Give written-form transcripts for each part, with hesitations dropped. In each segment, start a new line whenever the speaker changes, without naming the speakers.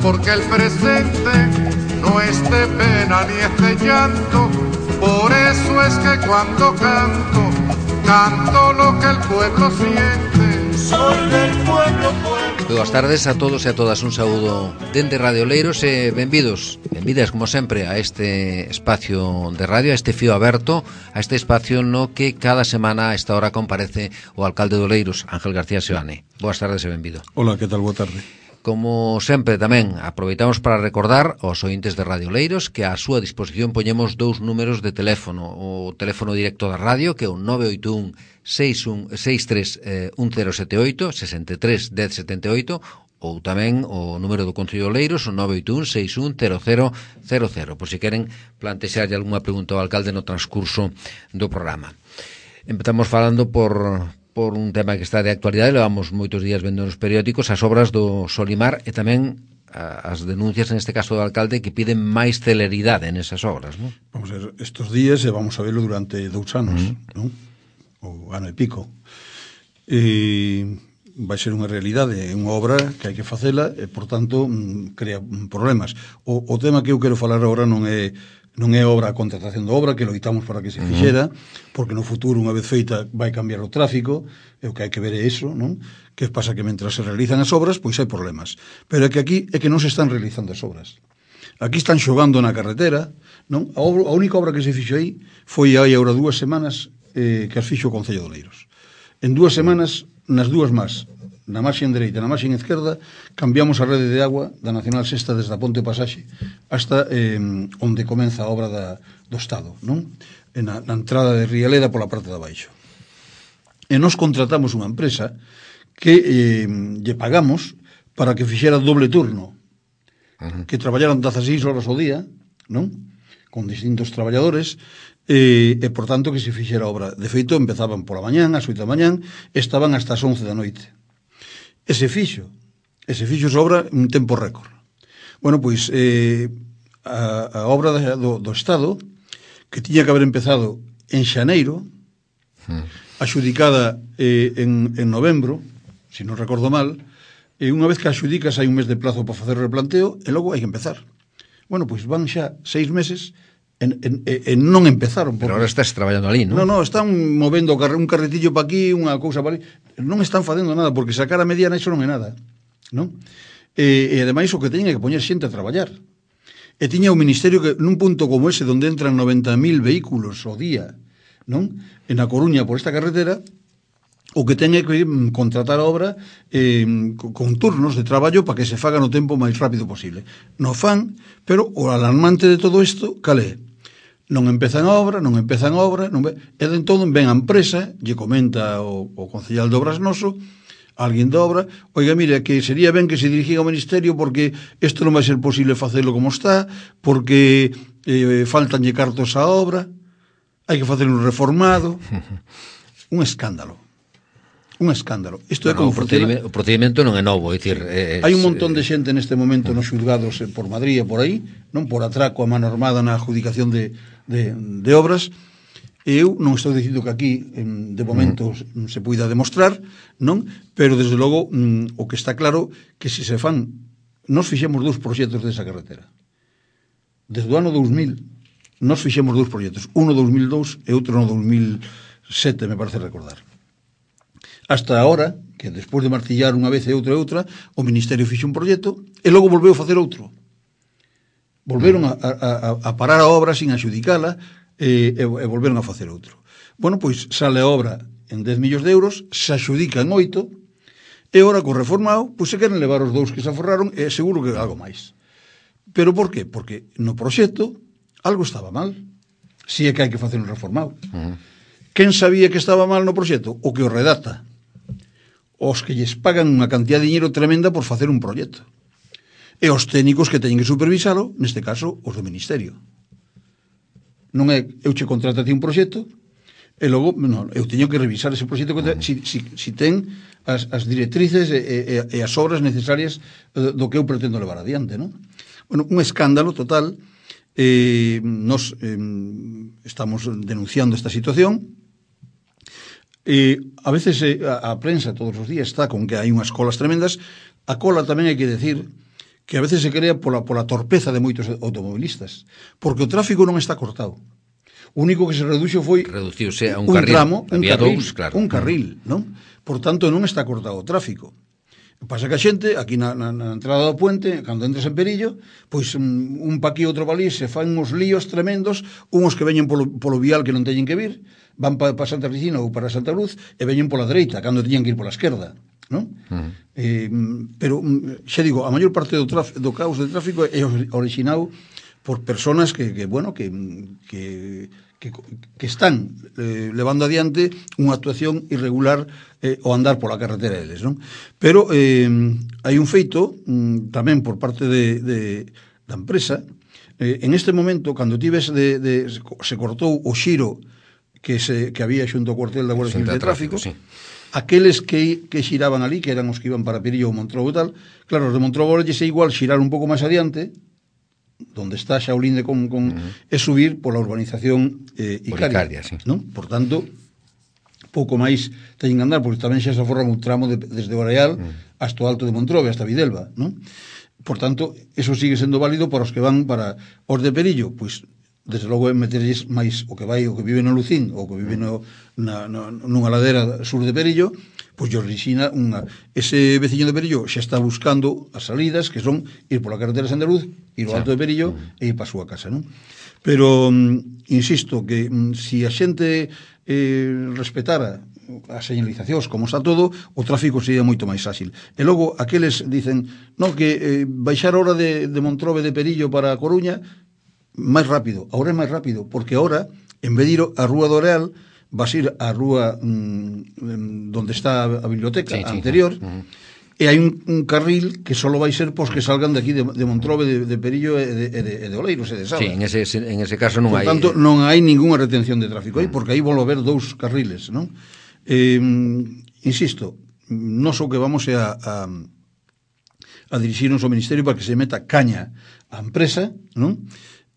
porque el presente no es de pena ni es de llanto. Por eso es que cuando canto, canto lo que el pueblo siente. Soy del pueblo, pueblo.
Boas tardes a todos e a todas, un saúdo dende Radio Oleiros e benvidas como sempre a este espacio de radio, a este fío aberto, a este espacio no que cada semana a esta hora comparece o alcalde de Oleiros, Ángel García Seoane. Boas tardes e benvido.
Hola, que tal? Boa tarde.
Como sempre tamén aproveitamos para recordar aos ointes de Radio Oleiros que a súa disposición poñemos dous números de teléfono, o teléfono directo da radio que é o 981 63 1078 63 1078 ou tamén o número do Concello de Oleiros, o 981 610000, por se queren plantexarlle algunha pregunta ao alcalde no transcurso do programa. Empezamos falando por un tema que está de actualidade, levamos moitos días vendo nos periódicos as obras do Solimar e tamén as denuncias, neste caso do alcalde, que piden máis celeridade nesas obras, non?
Vamos a ver, estos días, e vamos a verlo durante 2 anos, non? O ano e pico. Vai ser unha realidade, é unha obra que hai que facela e, por tanto, crea problemas. O tema que eu quero falar agora non é obra a contratación da obra, que loitamos para que se fixera, porque no futuro, unha vez feita, vai cambiar o tráfico, e o que hai que ver é iso, non? Que pasa que mentras se realizan as obras, pois hai problemas. Pero é que aquí é que non se están realizando as obras. Aquí están xogando na carretera, non? A única obra que se fixo aí foi hai agora 2 semanas que as fixo o Concello de Oleiros. En 2 semanas, nas dúas más, na marxen dereita e na marxen esquerda, cambiamos a rede de agua da Nacional Sexta desde a Ponte Pasaxe hasta onde comeza a obra do Estado, non? Na entrada de Rialeda pola parte de abaixo. E nos contratamos unha empresa que lle pagamos para que fixera doble turno, que traballaran 16 horas ao día, non? Con distintos traballadores, e por tanto que se fixera a obra. De feito, empezaban pola mañán, ás 8 da mañán, estaban hasta as 11 da noite. E se fixo esa obra en tempo récord. Bueno, pois a obra do Estado, que tiña que haber empezado en xaneiro, axudicada en novembro, se non recordo mal, e unha vez que axudicas hai un mes de plazo para facer o replanteo e logo hai que empezar. Bueno, pois van xa 6 meses e non empezaron.
Pero agora estás traballando ali, non?
Non, están movendo un carretillo para aquí, unha cousa para ali. Non están facendo nada, porque sacar a mediana iso non é nada, non? E ademais o que teñen é que poñer xente a traballar. E tiña o Ministerio que nun punto como ese, onde entran 90.000 vehículos ao día, non? En A Coruña por esta carretera, o que ten é que contratar a obra con turnos de traballo para que se faga no tempo máis rápido posible. No fan, pero o alarmante de todo isto, cal é? Non empezan a obra, e de entón ven a empresa, lle comenta o concellal de obras noso, alguén da obra, oiga, mire, que sería ben que se dirigiga ao Ministerio porque isto non vai ser posible facelo como está, porque faltanlle cartos á obra, hai que facer un reformado, un escándalo. Isto é como
o procedimento non é novo, é dicir,
hai un montón de xente neste momento nos xulgados por Madrid e por aí, non por atraco a mano armada na adjudicación de obras. E eu non estou dicindo que aquí de momento se poida demostrar, non? Pero desde logo o que está claro que se fan, nos fixemos 2 proxectos desa carretera. Desde o ano 2000 nos fixemos 2 proxectos, uno 2002 e outro no 2007, me parece recordar. Hasta agora, que despois de martillar unha vez e outra, o Ministerio fixe un proxecto e logo volveu a facer outro. Volveron a parar a obra sin axudicala e volveron a facer outro. Bueno, pois sale a obra en 10 millóns de euros, se axudican 8, e ora co reformado, pois se queren levar os 2 que se aforraron e seguro que algo máis. Pero por qué? Porque no proxecto algo estaba mal. Si é que hai que facer un reformado. Quen sabía que estaba mal no proxecto? O que o redacta. Os que lles pagan unha cantidad de dinero tremenda por facer un proxecto. E os técnicos que teñen que supervisalo, neste caso, os do Ministerio. Non é, eu che contrato a ti un proxecto, e logo, non, eu teño que revisar ese proxecto si ten as directrices e as obras necesarias do que eu pretendo levar adiante, non? Bueno, un escándalo total. Nos estamos denunciando esta situación. A veces a prensa todos os días está con que hai unhas colas tremendas. A cola tamén hai que decir que a veces se crea pola torpeza de moitos automobilistas, porque o tráfico non está cortado. O único que se reduxo foi
reduciuse a un
carril,
tramo, había dous, claro.
Un carril, non? Por tanto, non está cortado o tráfico. Pasa que a xente, aquí na entrada do puente, cando entras en Perillo, pois un pa aquí, outro pa ali, se fan uns líos tremendos, unhos que veñen polo vial que non teñen que vir, van para Santa Cristina ou para Santa Luz, e veñen pola dereita, cando teñen que ir pola esquerda, non? Pero, xa digo, a maior parte do caos de tráfico é orixinado por personas que están levando adiante unha actuación irregular o andar pola carretera deles, non? Pero hai un feito tamén por parte da empresa. En este momento, cando se cortou o xiro que había xunto ao cuartel da Guardia Civil de Tráfico, sí. Aqueles que xiraban ali, que eran os que iban para Perillo ou Montrobo e tal, claro, os de Montrobo lles é igual xirar un pouco máis adiante, donde está Xaulín de e subir pola urbanización Icaria, sí. Non? Por tanto, pouco máis teñen que andar, porque tamén xa se aforran un tramo desde o Areal hasta o Alto de Montrobe, hasta Videlva, non? Por tanto, eso sigue sendo válido para os que van para os de Perillo, pois desde logo é meterlles máis o que vive no Lucín ou que vive nunha ladera sur de Perillo, pois yo orixina ese veciño de Perillo xa está buscando as salidas, que son ir pola carretera de Santa Luz, ir ao Alto de Perillo e ir para a súa casa, non? Pero insisto que se a xente respetara as señalizacións como está todo, o tráfico sería moito máis áxil. E logo aqueles dicen que baixar a hora de Montrobe de Perillo para a Coruña máis rápido, agora é máis rápido, porque agora, en vez de ir a Rúa do Areal, vas ir á rúa donde está a biblioteca anterior, e hai un carril que só vai ser pos que salgan de aquí de Montrobe, de Perillo e de Oleiros e de Saba.
Sí, en ese caso non hai...
Por tanto, non hai ninguna retención de tráfico aí, porque aí volve a haber dous carriles, non? Insisto, non só que vamos a dirixirnos ao Ministerio para que se meta caña á empresa, non?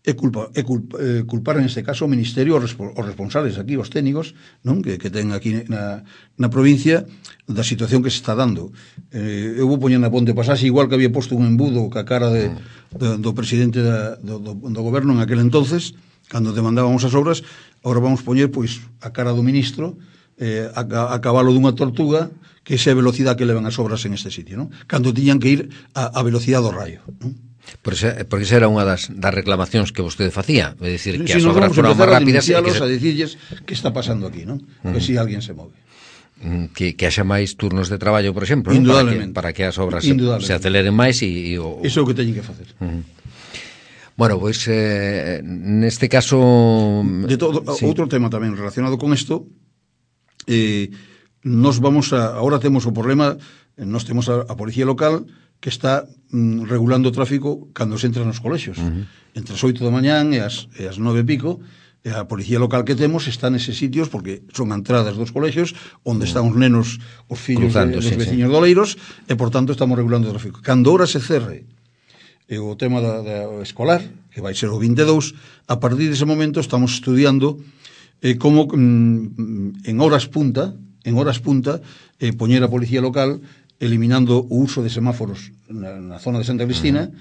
Culpar en este caso o Ministerio os responsables aquí, os técnicos, non? Que ten aquí na provincia da situación que se está dando. Eu vou poñer na ponte pasaxe, igual que había posto un embudo ca cara do presidente do goberno en aquel entonces, cando demandábamos as obras, agora vamos poñer pois a cara do ministro a cabalo dunha tortuga, que esa é a velocidade que levan as obras en este sitio, non? Cando tiñan que ir a velocidade do rayo, non?
Porque esa era unha das reclamacións que vostede facía, é dicir, que as obras foran máis rápidas
e a dicirles que está pasando aquí, non? Que si alguén se move.
Que haxa máis turnos de traballo, por exemplo, para que as obras se aceleren máis e
iso é o que teñen que facer.
Bueno, pois neste caso
outro tema tamén relacionado con isto, nos vamos agora temos o problema, nos temos a policía local que está regulando o tráfico cando se entra nos colexios. Entre as 8 da mañán e as 9 e pico, e a policía local que temos está neses sitios porque son entradas dos colexios onde están os nenos, os fillos dos veciños doleiros, e por tanto estamos regulando o tráfico. Cando ahora se cerre o tema da escolar, que vai ser o 22, a partir dese momento estamos estudiando como en horas punta poñer a policía local eliminando o uso de semáforos na zona de Santa Cristina.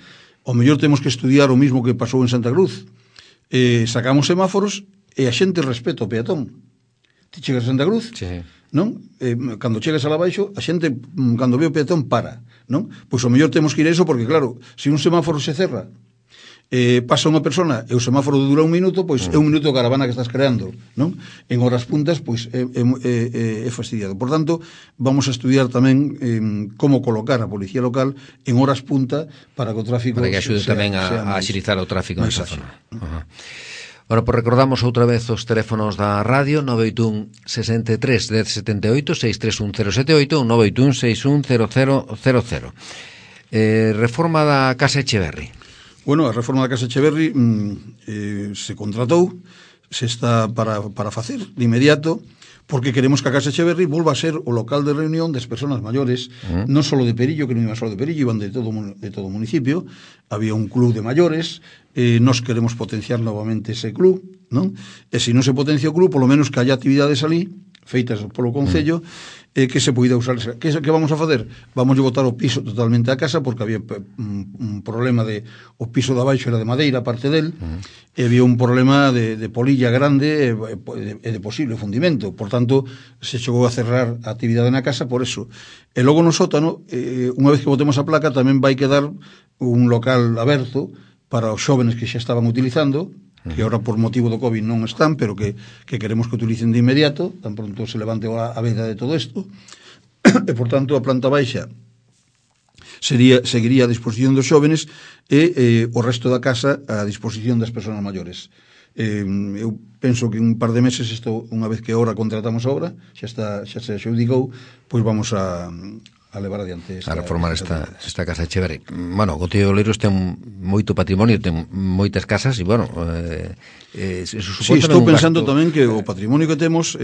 O mellor temos que estudiar o mismo que pasou en Santa Cruz. Sacamos semáforos e a xente respeta o peatón. Ti chegas a Santa Cruz, non? Cando chegas a la baixo, a xente, cando ve o peatón, para, non? Pois o mellor temos que ir a eso, porque claro, se un semáforo se cerra, pasa unha persona e o semáforo dura un minuto, pois é un minuto de caravana que estás creando, non? En horas puntas, pois é fastidiado. Por tanto, vamos a estudiar tamén como colocar a policía local en horas punta para que o tráfico
para que axude tamén a axilizar o tráfico nesa zona. Bueno, pois recordamos outra vez os teléfonos da radio: 981 63 1078, 631 078 ou 981 610000. Reforma da Casa Echeverri.
Bueno, a reforma da Casa Echeverri se contratou, se está para facer de inmediato, porque queremos que a Casa Echeverri volva a ser o local de reunión das persoas maiores, non só de Perillo, que non iban só de Perillo, iban de todo o municipio. Había un club de maiores, nos queremos potenciar novamente ese club, non? E se non se potencia o club, polo menos que haya actividades ali, feitas polo Concello, que se poida usar. Que vamos a facer? Vamos a botar o piso totalmente a casa, porque había un problema de o piso de abaixo era de madeira, parte del, e había un problema de polilla grande e de posible fundimento. Por tanto, se chegou a cerrar a actividade na casa por eso. E logo no sótano, unha vez que botemos a placa, tamén vai quedar un local aberto para os xóvenes que xa estaban utilizando, que ahora por motivo do COVID non están, pero que queremos que utilicen de inmediato, tan pronto se levante a veda de todo isto, e por tanto a planta baixa seguiría a disposición dos xóvenes e o resto da casa a disposición das persoas maiores. Eu penso que un par de meses isto, unha vez que ahora contratamos a obra, xa se adxudicou, pois vamos a levar adiante
a reformar esta casa de Echeverri. Bueno, o Concello de Oleiros ten moito patrimonio, ten moitas casas e, bueno,
sí, estou pensando tamén que o patrimonio que temos,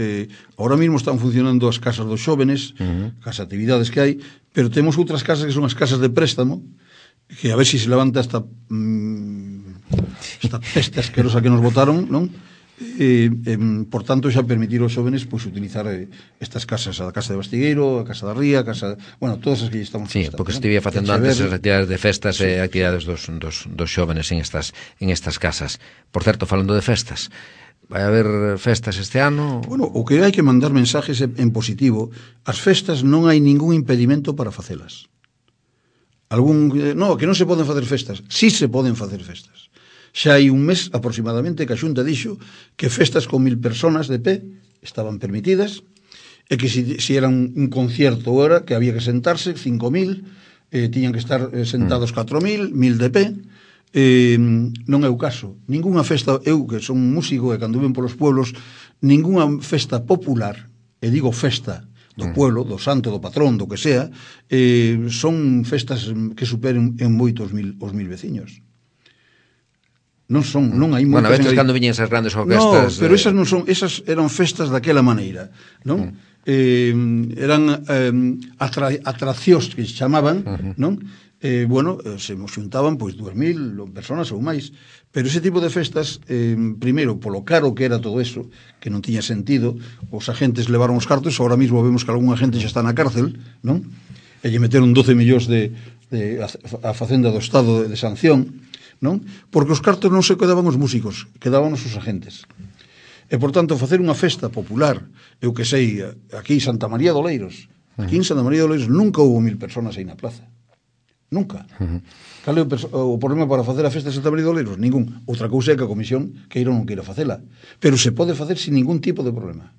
ahora mismo están funcionando as casas dos xóvenes, as actividades que hai, pero temos outras casas que son as casas de préstamo, que a ver se levanta esta peste asquerosa que nos botaron, non? Por tanto, xa permitir aos xóvenes pois utilizar estas casas, a casa de Bastigueiro, a casa da Ría, a casa, bueno, todas as que estamos
prestando. Sí, porque estivía facendo antes as actividades de festas e actividades dos xóvenes en estas casas. Por certo, falando de festas, vai haber festas este ano?
Bueno, o que hai que mandar mensajes en positivo. As festas non hai ningún impedimento para facelas. No, que non se poden facer festas. Sí se poden facer festas. Xa hai un mes aproximadamente que a Xunta dixo que festas con 1000 personas de pé estaban permitidas e que se era un concierto ahora que había que sentarse 5000, tiñan que estar sentados 4000, 1000 de pé. Non é o caso. Ningunha festa, eu que son músico e cando ven polos pueblos, ningunha festa popular, e digo festa do pueblo, do santo, do patrón, do que sea, son festas que superen en moito os 1000 veciños. Non hai moitas.
Bueno, a veces cando viñen esas grandes orquestas.
No, pero esas eran festas daquela maneira, non? Eran atraccións que se chamaban, non? Bueno, se xuntaban pois 2000 personas ou máis, pero ese tipo de festas, primeiro, polo caro que era todo eso, que non tiña sentido, os agentes levaron os cartos, ahora mismo vemos que algún agente xa está na cárcel, non? E lle meteron 12 millóns a Facenda do Estado de sanción, non? Porque os cartos non se quedaban os músicos, quedaban os agentes. E, por tanto, facer unha festa popular, eu que sei, aquí en Santa María de Oleiros, aquí en Santa María de Oleiros nunca houve 1000 personas aí na plaza. Nunca. Cal é o problema para facer a festa de Santa María de Oleiros? Ningún. Outra cousa é que a comisión queira ou non queira facela. Pero se pode facer sin ningún tipo de problema.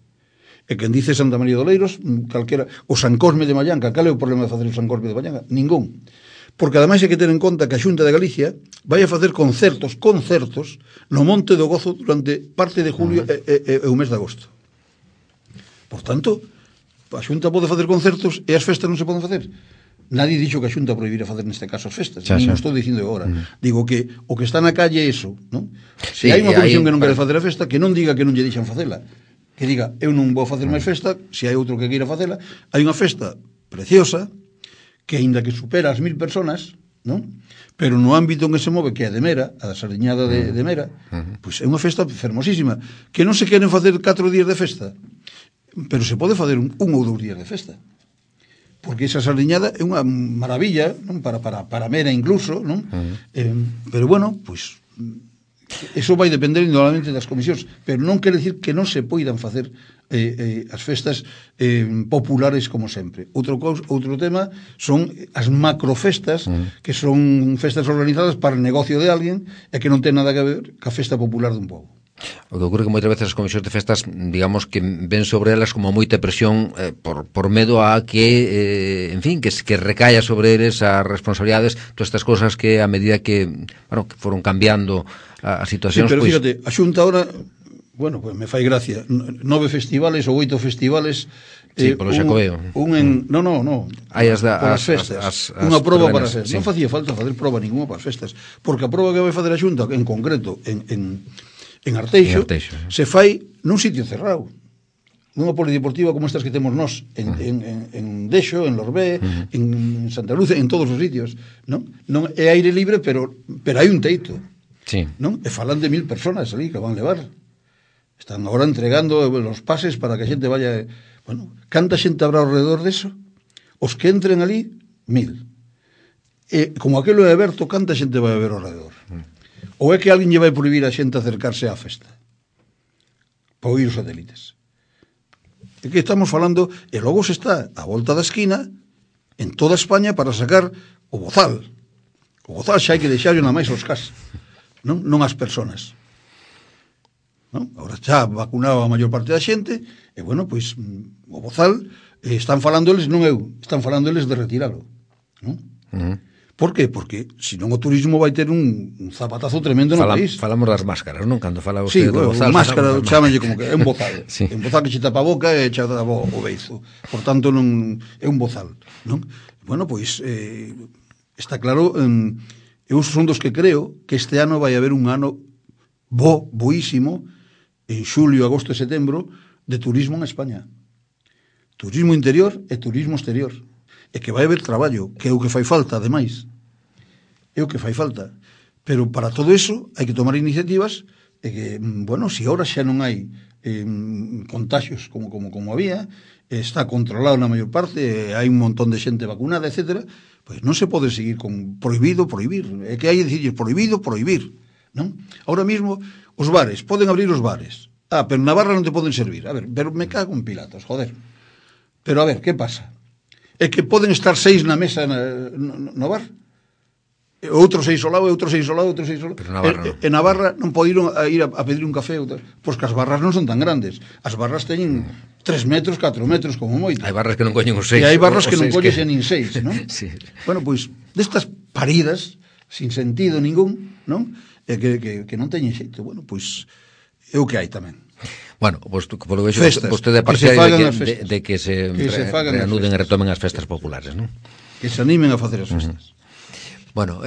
E quen dice Santa María de Oleiros, calquera, o San Cosme de Mallanca, cal é o problema de facer o San Cosme de Mallanca? Ningún. Porque ademais hai que ter en conta que a Xunta de Galicia vai a facer concertos no Monte do Gozo durante parte de julio e o mes de agosto. Por tanto, a Xunta pode facer concertos e as festas non se poden facer. Nadie dixo que a Xunta prohibira facer neste caso as festas, non estou dicindo agora. Digo que o que está na calle é iso, non? Se hai unha comisión que non quere facer a festa, que non diga que non lle deixan facela, que diga, eu non vou facer máis festa, se hai outro que queira facela. Hai unha festa preciosa que aínda que supera as 1000 personas, non? Pero no ámbito en que se move, que é a de Mera, a da Sardiñada de Mera, pois é unha festa fermosísima, que non se queren facer 4 días de festa, pero se pode facer un ou 2 días de festa, porque esa Sardiñada é unha maravilla, non? Para Mera incluso, non? Pero bueno, pois eso vai depender indudablemente das comisións, pero non quere dicir que non se poidan facer as festas populares como sempre. Outro tema son as macrofestas, que son festas organizadas para o negocio de alguén e que non ten nada que ver ca festa popular dun pobo.
O que ocurre que moitas veces as comisións de festas, digamos que ven sobre elas como moita presión por medo a que, en fin, que recaia sobre eles as responsabilidades, todas estas cosas que a medida que, bueno, que foron cambiando as situacións.
Sí, pero fíjate, a Xunta ahora, bueno, pues me fai gracia, 9 festivales ou 8 festivales.
Sí, polo Xacobeo.
No. Hai as festas. Unha proba para as festas. Non facía falta facer proba ninguna para as festas, porque a proba que vai facer a Xunta, en concreto, en Arteixo, se fai nun sitio cerrado, nunha polideportiva como estas que temos nós en Dexo, en Lorbé, en Santa Luz, en todos os sitios, non é aire libre, pero hai un teito, non? E falan de 1000 personas ali que van levar. Están agora entregando os pases para que a xente vaya... Bueno, canta xente habrá alrededor deso? Os que entren ali, 1000. Como aquilo é aberto, canta xente vai a ver ao redor? Ou é que alguén lle vai prohibir a xente acercarse á festa para oír os satélites? É que estamos falando, e logo se está a volta da esquina en toda España para sacar o bozal. O bozal xa hai que deixarlo na máis os cas, non as personas. Non? Agora xa vacunado a maior parte da xente, e bueno, pois o bozal están falando eles, non eu, están falando eles de retiralo, non? Por qué? Porque senón o turismo vai ter un zapatazo tremendo no país.
Falamos das máscaras, non? Cando fala usted do
Sí,
bozal,
máscara, chámanlle como que é un bozal.
Sí.
Un bozal que che tapa a boca e che tapa o beizo. Por tanto, non é un bozal, non? Bueno, pois está claro, eu son dos que creo que este ano vai haber un ano boísimo en xulio, agosto e setembro de turismo en España. Turismo interior e turismo exterior. E que vai haber traballo, que é o que fai falta, ademais. É o que fai falta. Pero para todo eso hai que tomar iniciativas e que, bueno, se agora xa non hai contagios como había, está controlado na maior parte, hai un montón de xente vacunada, etcétera, pois non se pode seguir con prohibir. É que hai que dicir prohibir, non? Ahora mismo, os bares, poden abrir os bares. Pero na barra non te poden servir. A ver, pero me cago en Pilatos, joder. Pero a ver, que pasa? É que poden estar 6 na mesa no bar, outros 6 ao lado, outros 6 ao lado.
Pero na barra non.
E na barra non poden ir a pedir un café, pois que as barras non son tan grandes. As barras teñen 3 metros, 4 metros como moito.
Hai barras que non coñen os 6.
E hai barras que non coñen nin 6, non?
Sí.
Bueno, pois destas paridas sin sentido ningún, non? E que non teñen xeito. Bueno, pois é o que hai tamén.
Bueno, pues, polo vexo,
que
vostede é partidario de que se reanuden e retomen as festas populares, non?
Que se animen a facer as festas.
Bueno,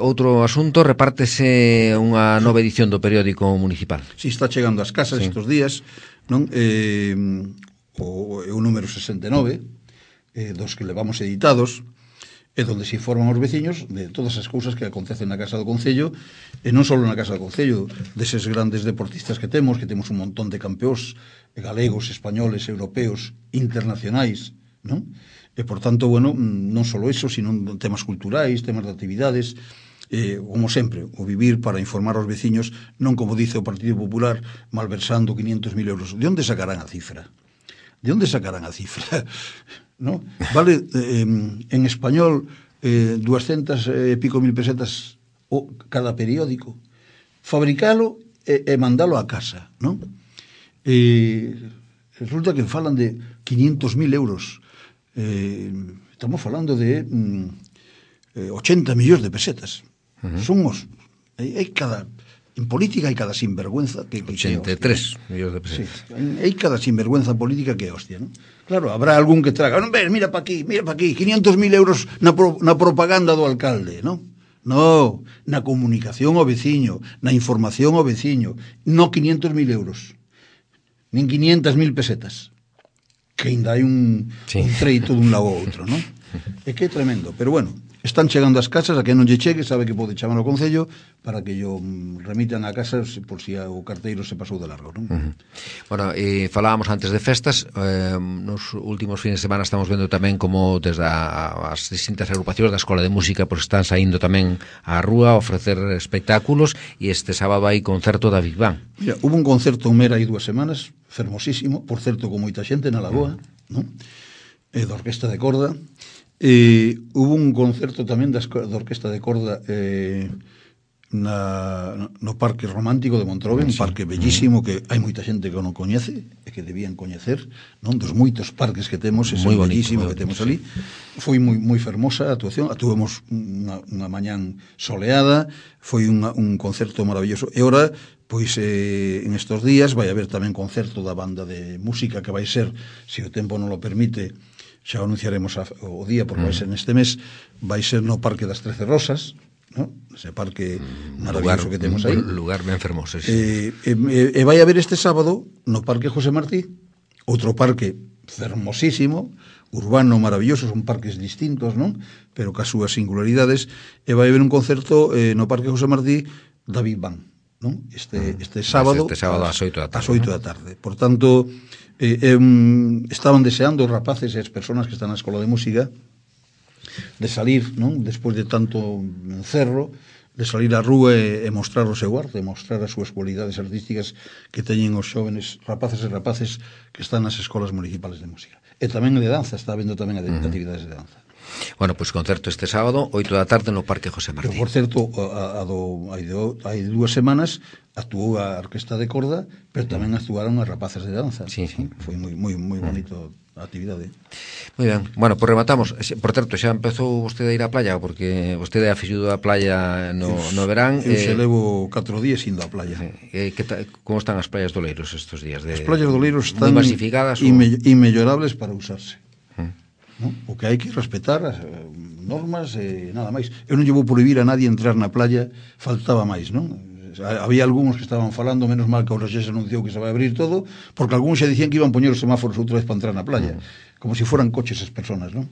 outro asunto, repártese unha nova edición do periódico municipal.
Si, está chegando ás casas estes días, non? O número 69, dos que levamos editados, e donde se informan os veciños de todas as cousas que acontecen na Casa do Concello, e non só na Casa do Concello, deses grandes deportistas que temos un montón de campeóns galegos, españoles, europeos, internacionais, non? E, por tanto, bueno, non só iso, sino temas culturais, temas de actividades, como sempre, o vivir para informar aos veciños, non como dice o Partido Popular, malversando 500.000 euros. De onde sacarán a cifra? ¿No? Vale, en español 200 e pico mil pesetas cada periódico. Fabricalo e mandalo a casa, ¿no? Resulta que falan de 500.000 euros. Estamos falando de 80 millóns de pesetas. Son os... En política hai cada sinvergüenza que
83 millóns de pesetas.
Sí, hai cada sinvergüenza política que é hostia, ¿no? Claro, habrá algún que traga, non ves, mira pa aquí, 500.000 euros na propaganda do alcalde, ¿no? No, na comunicación ao veciño, na información ao veciño, no 500.000 euros, nin 500.000 pesetas, que ainda hai un treito dun lado ao outro, ¿no? É que é tremendo, pero bueno, están chegando as casas, a que non lle chegue, sabe que pode chamar ao Concello para que yo remitan a casa por si o carteiro se pasou de largo, non?
Bueno, e falábamos antes de festas, nos últimos fines de semana estamos vendo tamén como desde as distintas agrupacións da Escola de Música pues están saindo tamén á rúa a ofrecer espectáculos, e este sábado hai concerto da Big Bang.
Mira, hubo un concerto en Mera hai 2 semanas, fermosísimo, por certo, con moita xente na Lagoa, non? Da Orquesta de Corda. Hubo un concerto tamén da Orquesta de Corda no Parque Romántico de Montrobe, un parque bellísimo que hai moita xente que non coñece e que debían coñecer, non? Dos moitos parques que temos, ese bellísimo que temos ali. Foi moi fermosa a actuación, tuvemos unha mañán soleada, foi un concerto maravilloso. E ora, pois en estos días vai haber tamén concerto da banda de música que vai ser, se o tempo non lo permite, xa anunciaremos o día, porque vai ser neste mes, vai ser no Parque das 13 Rosas, ¿no? Ese parque maravilloso que temos aí.
Lugar ben fermoso, sí.
E vai haber este sábado no Parque José Martí, outro parque fermosísimo, urbano maravilloso, son parques distintos, non? Pero cas súas singularidades, e vai haber un concerto no Parque José Martí da Big Bang, non? Este sábado
ás 8 da tarde.
Ás 8 da tarde. Por tanto, estaban deseando os rapaces e as persoas que están na Escola de Música de salir, non? Despois de tanto encerro, de salir á rúa e mostrar o seu arte, mostrar as súas cualidades artísticas que teñen os xóvenes rapaces e rapaces que están nas escolas municipales de música. E tamén de danza, está habendo tamén actividades de danza.
Bueno, pois concerto este sábado, 8 da tarde no Parque José Martí.
Por certo, hai 2 semanas actuou a Orquesta de Corda, pero tamén actuaron as rapaces de danza.
Sí, sí.
Foi moi bonito a actividade.
Moi ben. Bueno, pois rematamos. Por certo, xa empezou vostede a ir á playa, porque vostede é aficionado á playa no verán.
Eu xe levo 4 días indo á playa.
Como están as playas do Oleiros estes días?
As playas do Oleiros están
moi masificadas
inmellorables para usarse. ¿No? O que hai que respetar as normas e nada máis. Eu non lle vou prohibir a nadie entrar na playa, faltaba máis, non? Había algúns que estaban falando, menos mal que o Roxés anunciou que se vai abrir todo, porque algúns xa dicían que iban poñer os semáforos outra vez para entrar na playa, como se foran coches as personas, non?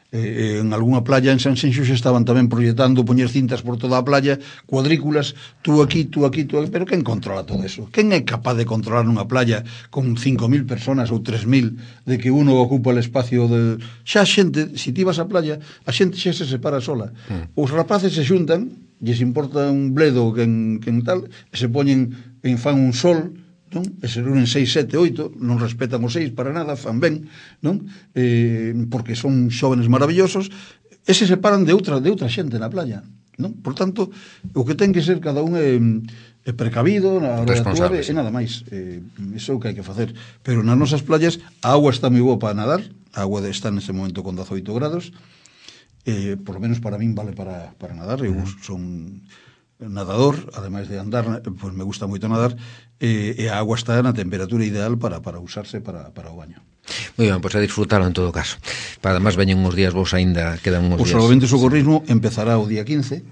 En algunha playa en San Xenxo xa estaban tamén proyectando poñer cintas por toda a playa, cuadrículas, tú aquí, pero quen controla todo eso? Quen é capaz de controlar nunha playa con 5.000 personas ou 3.000 de que uno ocupa el espacio de... Xa xente, se ti vas á playa, a xente xa se separa sola. Os rapaces se xuntan, lles importa un bledo quen tal, e se poñen en fan un sol, non? E se reúnen 6, 7, 8, non respetan os 6 para nada, fan ben, non? Porque son xóvenes maravillosos, e se separan de outra xente na playa, non? Por tanto, o que ten que ser cada un é precavido na hora de actuar e nada máis. Iso é o que hai que facer. Pero nas nosas playas a auga está moi boa para nadar, a auga está nese momento con 18 grados, por lo menos para min vale para nadar. Eu son nadador, ademais de andar, pues me gusta moito nadar, e a agua está na temperatura ideal para usarse para o baño.
Moi ben, pois a disfrutalo en todo caso. Para además veñen uns días vos aínda, quedan uns días.
O Salvamento e Socorrismo empezará o día 15.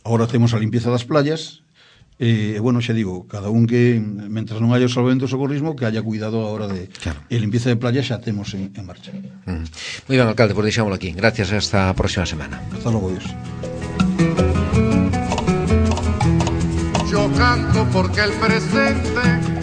Agora temos a limpieza das playas. Bueno, xa digo, cada un que, mentras non haya o Salvamento e Socorrismo, que haya cuidado a hora de... Claro. E limpieza de playas xa temos en marcha.
Moi ben, alcalde, pois deixámoslo aquí. Gracias, hasta a próxima semana.
Hasta logo, Dios.
Yo canto porque el presente